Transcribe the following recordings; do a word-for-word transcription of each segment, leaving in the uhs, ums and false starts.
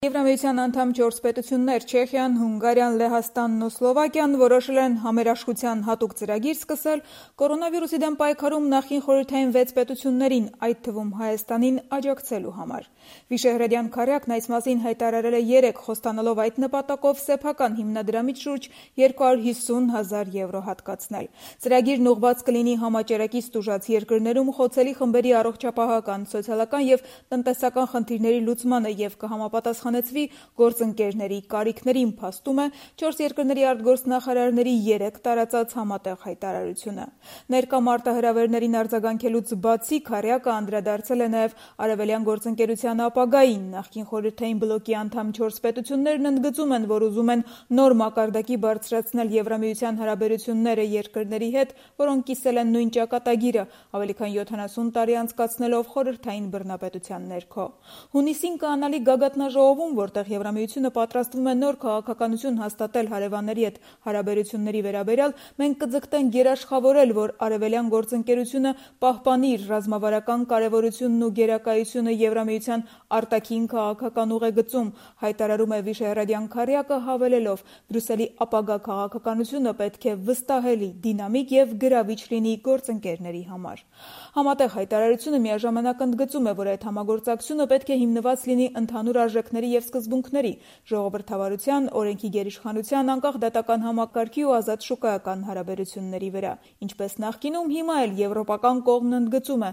Եվրամիության անդամ չորս պետություններ Չեխիան, Հունգարիան, Լեհաստանն ու Սլովակիան որոշել են համերաշխության հատուկ ծրագիր սկսել կորոնավիրուսի դեմ պայքարում նախկին խորհրդային վեց պետություններին, այդ թվում Հայաստանին, աջակցելու համար։ Վիշեհրեդյան քարյակն այս մասին հայտարարել է երեկ, խոստանալով այդ նպատակով սեփական հիմնադրամից շուրջ երկու հարյուր հիսուն հազար եվրո հատկացնել։ Ծրագիրն ուղղված կլինի համաճարակից տուժած երկրներում խոցելի խմբերի առողջապահական, սոցիալական եւ տնտեսական խնդիրների լուծմանը եւ կհամապատասխանեցվի գործընկերների կարիքներին, փաստում է չորս երկրների արտգործնախարարների երեկ տարածած համատեղ հայտարարությունը։ Ներկա մարտահրավերներին արձագանքելուց բացի քարյակը անդրադարձել է նաեւ արևելյան գործընկերության ապագային։ Նախկին խորհրդային բլոկի անդամ չորս պետություններն ընդգծում են, որ ուզում են նոր մակարդակի բարձրացնել Եվրամիության հարաբերությունները երկրների հետ, որոնք կիսել են նույն ճակատագիրը, ավելի քան յոթանասուն տարի անցկացնելով խորհրդային բռնապետության ներքո։ Հունիսին կանալի գագաթնաժողովում, որտեղ Եվրամիությունը պատրաստվում է նոր քաղաքականություն հաստատել հարևանների հետ հարաբերությունների վերաբերյալ, մենք կձգտենք գերաշխավորել, որ արևելյան գործընկերությունը պահպանի իր ռազմավարական կարևորությունն ու գերակայությունը Եվրամիության արտաքին քաղաքական ուղեգծում, հայտարարում է Վիշեհրեդյան քարյակը, հավելելով. Բրյուսելի ապագա քաղաքականությունը պետք է վստահելի, դինամիկ եւ գրավիչ լինի գործընկերների համար։ Համատեղ հայտարարությունը միաժամանակ ընդգծում է, որ այդ համագործակցությունը պետք է հիմնված լինի ընդհանուր արժեքների եւ սկզբունքների, ժողովրդավարության, օրենքի գերիշխանության, անկախ դատական համակարգի ու ազատ շուկայական հարաբերությունների վրա։ Ինչպես նախկինում, հիմա էլ եվրոպական կողմն ընդգծում է,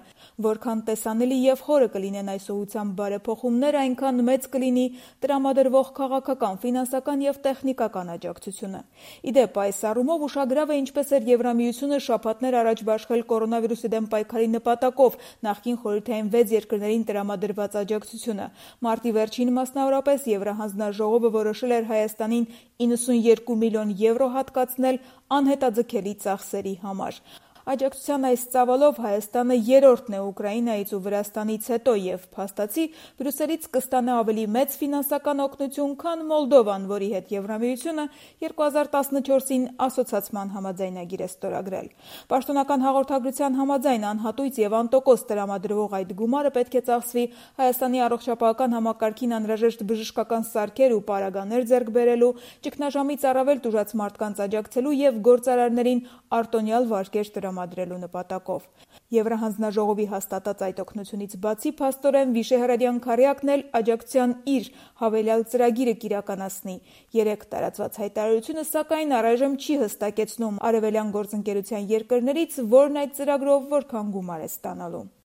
որքան տեսանելի եւ խորը կլինեն այս ուղղությամբ բարեփոխումները, այնքան մեծ կլինի տրամադրվող քաղաքական, ֆինանսական եւ տեխնիկական աջակցությունը։ Իդեպ, այս առումով ուշագրավ է, ինչպես էր Եվրամիությունը շաբաթներ առաջ բաշխել կորոնավիրուսի դեմ պայքարի նպատակով նախկին խորհրդային վեց երկրներին տրամադրված աջակցությունը։ Մարտի վերջին մասնավորապես Եվրահանձնաժողովը որոշել էր Հայաստանին իննսունյոթ միլիոն եվրո հատկացնել անհետաձգելի ծախսերի համար։ Աջակցության այս ծավալով Հայաստանը երրորդն է Ուկրաինայից ու Վրաստանից հետո եւ փաստացի Բրյուսելից կստանա ավելի մեծ ֆինանսական օգնություն, քան Մոլդովան, որի հետ Եվրամիությունը երկու հազար տասնչորսին ասոցացման համաձայնագիր է ստորագրել։ Պաշտոնական հաղորդագրության համաձայն անհատույց եւ անտոկոս տրամադրվող այդ գումարը պետք է ծախսվի Հայաստանի առողջապահական համակարգին անհրաժեշտ բժշկական սարքեր ու պարագաներ ձեռք բերելու, ճգնաժամից առավել տուժած մարդկանց աջակցելու եւ գործարարներին արտոնյալ վարկեր տրամադրելու նպատակով։ Եվրահանձնաժողովի հաստատած այդ օգնությունից բացի, փաստորեն Վիշեհրեդյան քարյակն էլ աջակցության իր հավելյալ ծրագիրը կիրականացնի։ Երեկ տարածված հայտարարությունը, սակայն, առայժմ չի հստակեցնում արևելյան գործընկերության երկրներից, որն այդ ծրագրով որքան գումար է ստանալու։